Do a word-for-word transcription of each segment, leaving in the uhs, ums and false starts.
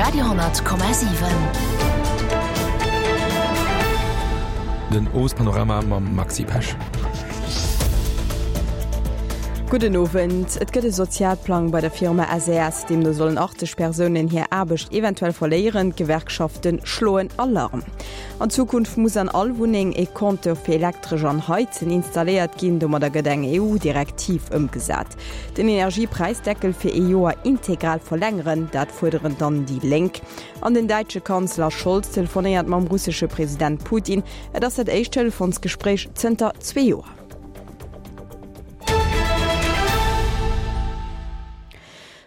Radio honnert Komma siwen. Den Owespanorama mam Maxi Pesch. Gudden Owend. Et gëtt e Sozialplang bei der Firma S E S. Deemno sollen achtzeg Persounen hir Aarbecht eventuell verléieren. D'Gewerkschafte schloen Alarm. An Zukunft muss an all Wunneng e Compteur fir Elektresch an Heizen installéiert ginn. Domadder gëtt eng E U-Direktiv ëmgesat. Den Energiepräisdeckel fir ee Joer integral verlängeren, dat fuerderen dann déi Lénk. An den däitsche Kanzler Scholz telefonéiert mam russesche President Putin. Et ass dat éischt Telefonsgespréich zënter zwee Joer.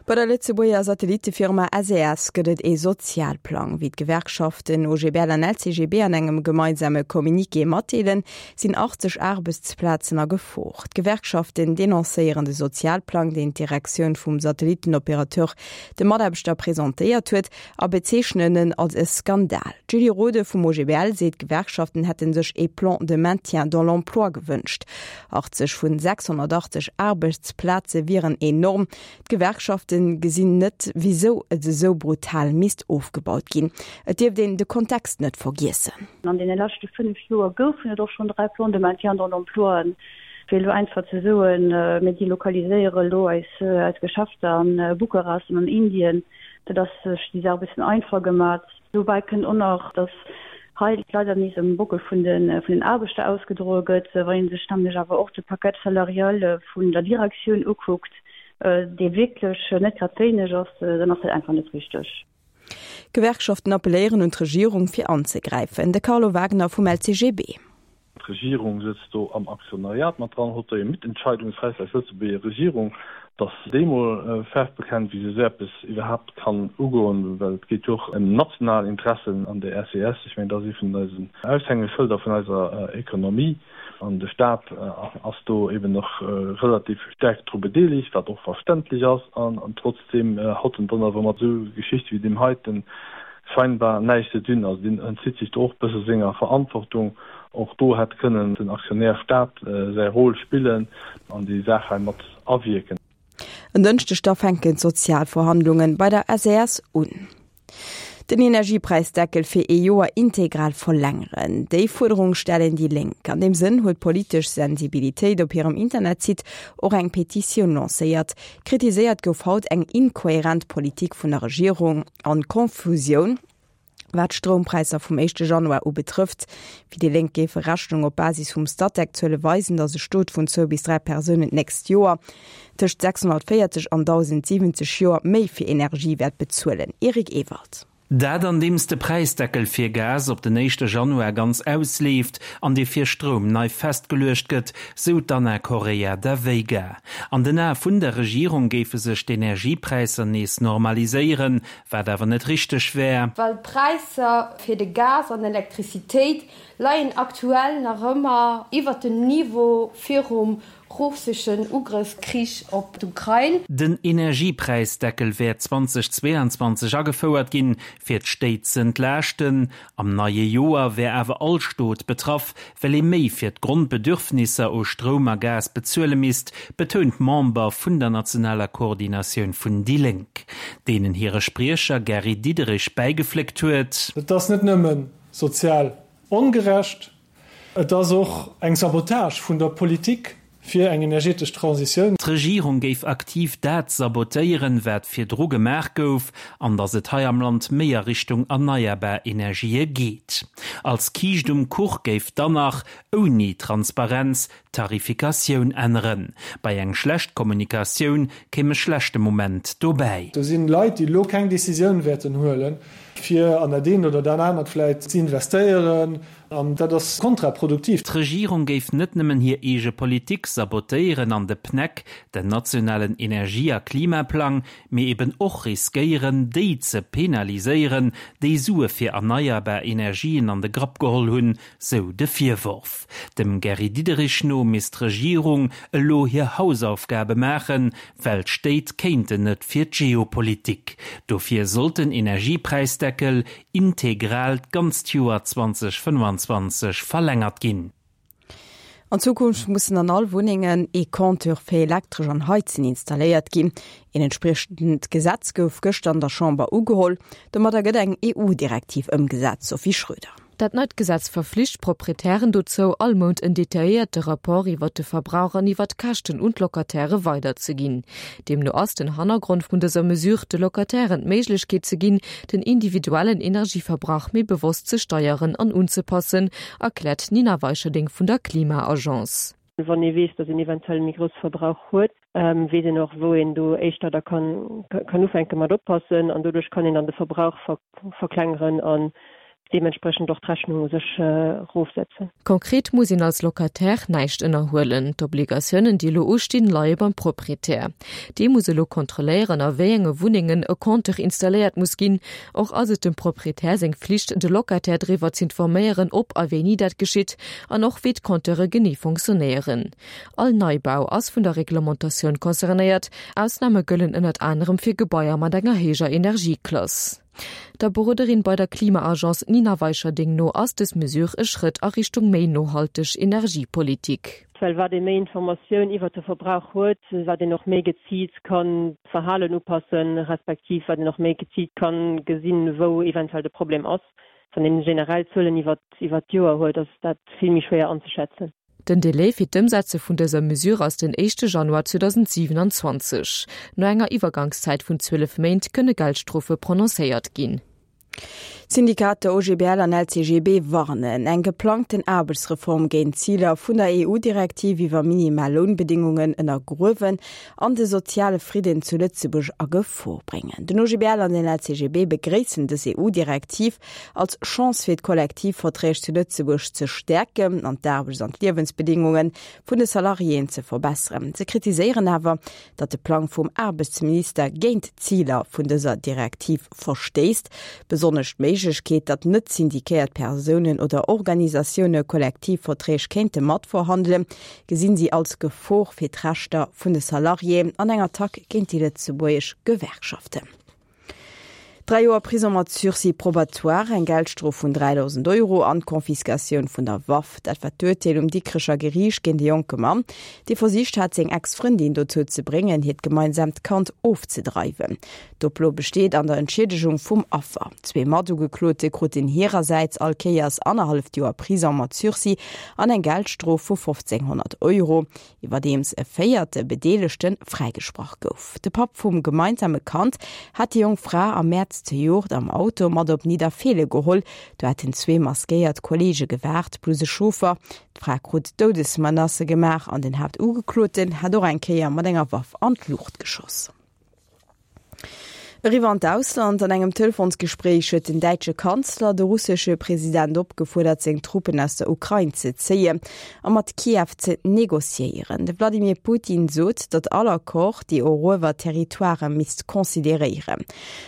Bei der Lëtzebuerger Satellittefirma S E S gëtt et ee Sozialplang. Wéi d'Gewerkschaften O G B L an L C G B an engem gemeinsame Communiqué matdeelen, sinn achtzeg Aarbechtsplazen a Gefor. D'Gewerkschaften denoncéieren de Sozialplang, deen d'Direktioun vum Satellittenoperateur de Mataarbechter presentéiert huet, a bezeechnen en als e Skandal. D'Julie Rode vum O G B L seet, d'Gewerkschaften hätte sech e Plan de maintien dans l'emploi gewënscht. achtzeg vun sechshonnertachtzeg Aarbechtsplaze wieren enorm. D'Gewerkschafte gesinn net, wisou et esou brutal misst ofgebaut ginn. Et dierft een de Kontext net vergiessen. An deene leschte fënnef Joer goufen et och schonn dräi Plans de maintien dans l'emploi. Fir elo einfach ze soen, mir delokaliséiere elo eis eis Geschäfter an Bukarest an an Indien, dat ass sech déi Saach e bëssen einfach gemat. Dobäi kënnt och nach, datt hei leider nees um Bockel vun de vun den Aarbechter ausgedroe gëtt. Wann ee sech nämlech awer och de Paquet salarial vun der Direktioun ukuckt, dee wierklech net grad wéineg ass, dann ass dat einfach net richteg. D'Gewerkschaften appelléieren un d'Regierung fir anzegräifen. De Carlo Wagner vum L C G B. D'Regierung sëtzt do am Aktionariat mat dran, huet do e Mitentscheidungsrecht als Lëtzebuerger Regierung, datt déi mol Faarf bekennt, wéi se esou eppes iwwerhaapt kann ugoen, well et geet jo och ëm national Interessen an der S E S. Ech mengen, dat ass ee vun eisen Aushängeschëlder vun eiser Ekonomie an de Staat ass do eben och relativ staark dru bedeelegt, wat och verständlech ass, an trotzdem hat en dann awer mat esou Geschichte wéi deem heiten scheinbar näischt ze dinn. Also deen entzitt sech do och bësse senger Verantwortung. Och do hätt kënnen den Aktionär Staat säi Rôle spillen an déi Saach hei mat awierken. En Dënschdeg da fänken d'Sozialverhandlunge bei der S E S un. Den Energiepräisdeckel fir ee Joer integral verlängeren. Déi Fuerderung stellen déi Lénk. An deem Sënn huet Politesch Sensibilitéit op hirem Internetsite och eng Petitioun lancéiert. Kritiséiert gouf haut eng inkoherent Politik vun der Regierung an Konfusioun, wat d'Stroumpräisser vum éischte Januar u betrëfft. Fir déi Lénk géife Berechnungen op Basis vum Statec-Zuele weisen, datt e Stot vun zwou bis dräi Persounen d'nächst Joer tëscht sechshonnertvéierzeg an dausendsiwwenzeg Euro méi fir Energie wäert bezuelen. Eric Ewald. Dat andeems de Präisdeckel fir Gas op den éischte Januar ganz ausleeft an dee fir Stroum nei festgeluecht gëtt, sou d'Anna Correia da Veiga. An den Ae vun der Regierung géife sech d'Energiepräisser nees normaliséieren, wat awer net richteg wär. Well d'Präisser fir de Gas an Elektrizitéit leien aktuell nach ëmmer iwwer dem Niveau virum russeschen Ugrëffskrich op d'Ukrain. Den Energiepräisdeckel wär zweitausendzweiundzwanzeg agefouert ginn, fir d'Stéit z'entlaaschten. Am neie Joer wär awer all Stot betraff, well ee méi fir d'Grondbedürfnisser u Stroum a Gas bezuele misst, betount d'Member vun der nationaler Koordinatioun vun déi Lénk, deenen hire Spriecher Gary Diderich bäigefléckt huet. Et ass net nëmme sozial ongerecht, et ass och eng Sabotage vun der Politik fir eng energetesch Transitioun. D'Regierung géif aktiv dat sabotéieren, wat virdru gemaach gouf, an datt et hei am Land méi a Richtung erneierbar Energië geet. Als Kiischt um Kuch géif dann nach ouni Transparenz d'Tarifikatioun änneren. Bei eng schlecht Kommunikatioun kéim e schlechte Moment dobäi. Do sinn Leit, déi lo keng Decisioun wäerten huelen, fir an dat eent oder dat anert vläit ze investéieren, an dat ass kontraproduktiv. D'Regierung géif net nëmmen hir eege Politik sabotéieren an de P N E C, den nationalen Energie a Klimaplang, mee eben och riskéieren, déi ze penaliséieren, déi Sue fir erneierbar Energien an de Grapp geholl hunn, sou de Virworf. Dem Gary Diderich no misst d'Regierung elo hir Hausaufgabe maachen, well d'Stéit kéinten net fir d'Geopolitik. Dofir sollt den Energiepräisdeckel integral d'ganzt Joer zweitausendfënnfanzwanzeg verlängert ginn. An Zukunft mussen an all Wunnengen ee Compteur fir Elektresch an Heizen installéiert ginn. Een entspriechend Gesetz gouf gëschter an der Chamber ugeholl. Domadder gëtt eng EU-Direktiv ëmgesat, Sophie Schröder. Dat neit Gesetz verflicht d'Proprietären dozou, all Mount en detailléierte Rapport iwwert de Verbrauch an iwwert d'Käschten un d'Locataire weiderzeginn. Deemno ass den Hannergrond vun dëser Mesure, de Locatairen d'Méiglechkeet ze ginn, den individuellen Energieverbrauch méi bewosst ze steieren an unzepassen, erkläert d'Nina Weicherding vun der Klima-Agence. Wann ee weess, datt een eventuell méi grousse Verbrauch huet, weess een och, wou een do éischter da kann ufänke mat oppassen an doduerch kann een dann de Verbrauch verklengeren an deementsprechend och d'Rechnung u sech erofsetzen. Konkret muss een als Locataire näischt ënnerhuelen. D'Obligatiounen, déi elo ustinn, leie beim Proprietär. Dee muss elo kontrolléieren, a wéi enge Wunnengen e Compteur installéiert muss ginn. Och ass et dem Proprietär seng Flicht, de Locataire driwwer z'informéieren, ob a wéini dat geschitt an och wéi d'Compteure genee fonctionnéieren. All Neibau ass vun der Reglementatioun concernéiert, Ausname gëllen ënnert anerem fir Gebaier mat enger héijer Energieklass. Der Beroderin bei der Klima-Agence Nina Weicherding no ass dës Mesure e Schrëtt a Richtung méi nohalteg Energiepolitik. Well wat ee méi Informatioun iwwert de Verbrauch huet, wat een och méi geziilt kann d'Verhalen upassen, respektiv wat een och méi geziilt kann gesinn, wou eventuell de Problem ass. Wann een generell Zuelen iwwert d'Joer huet, ass dat vill méi schwéier anzeschätzen. Den Delai fir d'Ëmsetze vun dëser Mesure ass den éischte Januar zweedausendsiwenanzwanzeg. No enger Iwwergangszäit vun zwielef Méint kënne Geldstrofe prononcéiert ginn. D'Syndikater O G B L an L C G B warnen, eng geplangten Aarbechtsreform géing d'Ziler vun der E U-Direktiv iwwer minimal Lounbedingungen ënnergruewen an de soziale Fridden zu Lëtzebuerg a Gefor bréngen. Den O G B L an den L C G B begréissen dës E U-Direktiv als Chance fir d'Kollektivverträg zu Lëtzebuerg ze stäerken an d'Aarbechts an d'Liewensbedingunge vun de Salariéen ze verbesseren. Se kritiséieren awer, datt de Plang vum Aarbechtsminister géint d'Ziler vun dëser Direktiv verstéisst, besonnesch d'Méiglechkeet, datt net syndikéiert Persounen oder Organisatioune Kollektivverträg kéinte matverhandelen, gesinn si als Gefor fir d'Rechter vun de Salariéen an eng Attack géint déi lëtzebuergesch Gewerkschaften. Dräi Joer Prisong mat Sursis probatoire, eng Geldstrof vun dräidausend Euro an d'Confiscatioun vun der Waff, dat war d'Urteel um Dikrecher Geriicht géint e jonke Mann, dee versicht hat, seng Ex-Frëndin dozou ze bréngen, hiert gemeinsaamt Kand ofzedreiwen. D'Oplo besteet an der Entschiedegung vum Affer. Zwee Matugeklote kruten hirersäits all Kéiers annerhalleft Joer Prisong mat Sursis an eng Geldstrof vu fofzénghonnert Euro, iwwerdeems e véierte Bedeelegte fräigesprach gouf. De Papp vum gemeinsame Kand hat déi jonk Fra am Mäerz zejoert am Auto mat op Nidderfeelen geholl. Do hätten zwee maskéiert Kolleege gewaart, plus e Chauffer. D'Fra krut Doudesmenacë gemaach an den Haaptugekloten hat och eng Kéier mat enger Waff an d'Luucht geschoss. Eriwwer an d'Ausland, An engem Telefonsgespréich huet den däitsche Kanzler de russesche President opgefuerdert, seng Truppen aus der Ukrain ze zéien a mat Kiew ze negociéieren. De Wladimir Putin sot, datt all Accord déi eruewert Territoire misst consideréieren.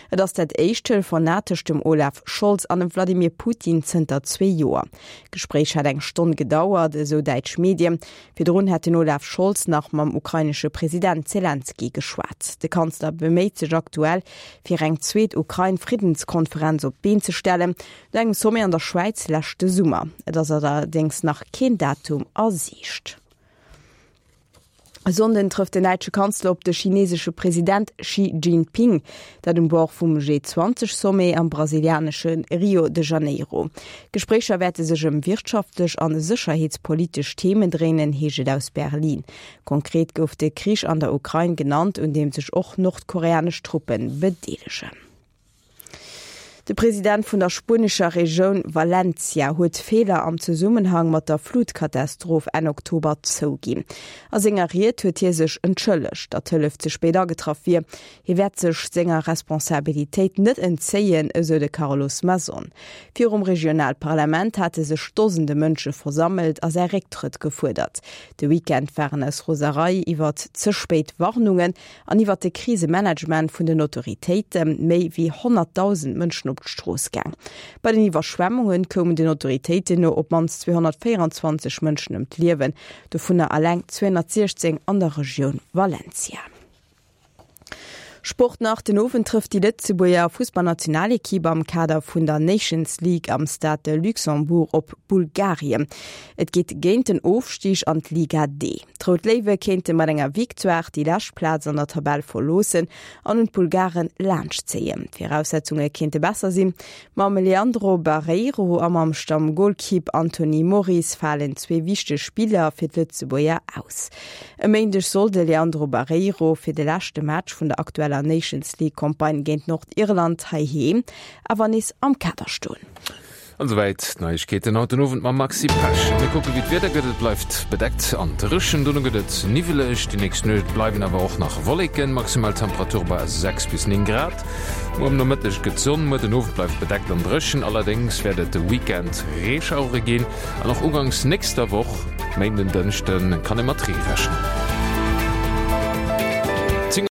Et ass dat éischt Telefonat tëscht dem Olaf Scholz an dem Wladimir Putin zënter zwee Joer. D'Gespréich hat eng Stonn gedauert, esou däitsch Medien. Virdrun hat den Olaf Scholz nach mam ukrainesche President Selenskyj geschwat. De Kanzler beméit sech aktuell, fir eng zweet Ukrain-Friddenskonferenz op d'Been ze stellen, no engem Sommet an der Schwäiz leschte Summer. Et ass allerdéngs nach keen Datum a Siicht. E Sonnden trëfft den däitsche Kanzler op de chinesesche President Xi Jinping, dat um Bord vum G zwanzeg Sommet am brasilianesche Rio de Janeiro. D'Gespréicher wäerte sech ëm wirtschaftlech an sécherheetspolitesch Themen dréinen, heescht et aus Berlin. Konkret gouf de Krich an der Ukrain genannt, un deem sech och nordkoreanesch Truppe bedeelegen. De President vun der spuenescher Regioun Valencia huet Feeler am Zesummenhang mat der Flutkatastroph Enn Oktober zouginn. A senger Ried huet hie sech entschëllegt, datt d'Hëllef ze spéit agetraff wier. Hie wäert sech senger Responsabilitéit net entzéien, esou de Carlos Mazón. Virum Regionalparlament hate sech Dosende Mënsche versammelt a säi Récktrëtt gefuerdert. De Weekend waren aus Roserei iwwert ze spéit Warnungen an iwwert de Krisemanagement vun den Autoritéite méi wéi honnertdausend Mënschen op d'Strooss gaang. Bei den Iwwerschwemmunge koumen den Autoritéiten no op d'mannst zweehonnertvéierenzwanzeg Mënschen ëm d'Liewen, dovunner eleng zweehonnertsiechzéng an der Regioun Valencia. Sport nach, Den Owend trëfft déi Lëtzebuerger Fussballnationalekipp am Kader vun der Nations League am Stade de Luxembourg op Bulgarien. Et geet géint den Ofstig an d'Liga D. D'Rout Léiwe kéinte mat enger Victoire déi lescht Plaz an der Tabell verloossen an un d'Bulgaren laanschtzéien. D'Viraussetzunge kéinte besser sinn. Mam Leandro Barreiro a mam Stammgolkipp Anthony Moris falen zwee wichteg Spiller fir d'Lëtzebuerger aus. E Méindeg soll de Leandro Barreiro fir de leschte Match vun der aktueller Nations League Campagne géint Nordirland heiheem awer nees am Kader stoen. An esouwäit d'Neiegkeeten haut den Owend mam Maxi Pesch. Mir kucke wéi d'Wieder gëtt. Et bleift bedeckt an dréchen, dono gëtt et niwweleg. Déi nächst Nuecht bleiwen awer och nach Wolleken, maximal Temperature bei sechs bis néng Grad. Muer am Nomëtteg gëtt Sonn, muer den Owend bleift bedeckt an dréchen. Allerdéngs wäert et de Weekend Reeschauere ginn an och uganks nächster Woch, Méinden, Dënschden, kann ee mat Ree rechnen.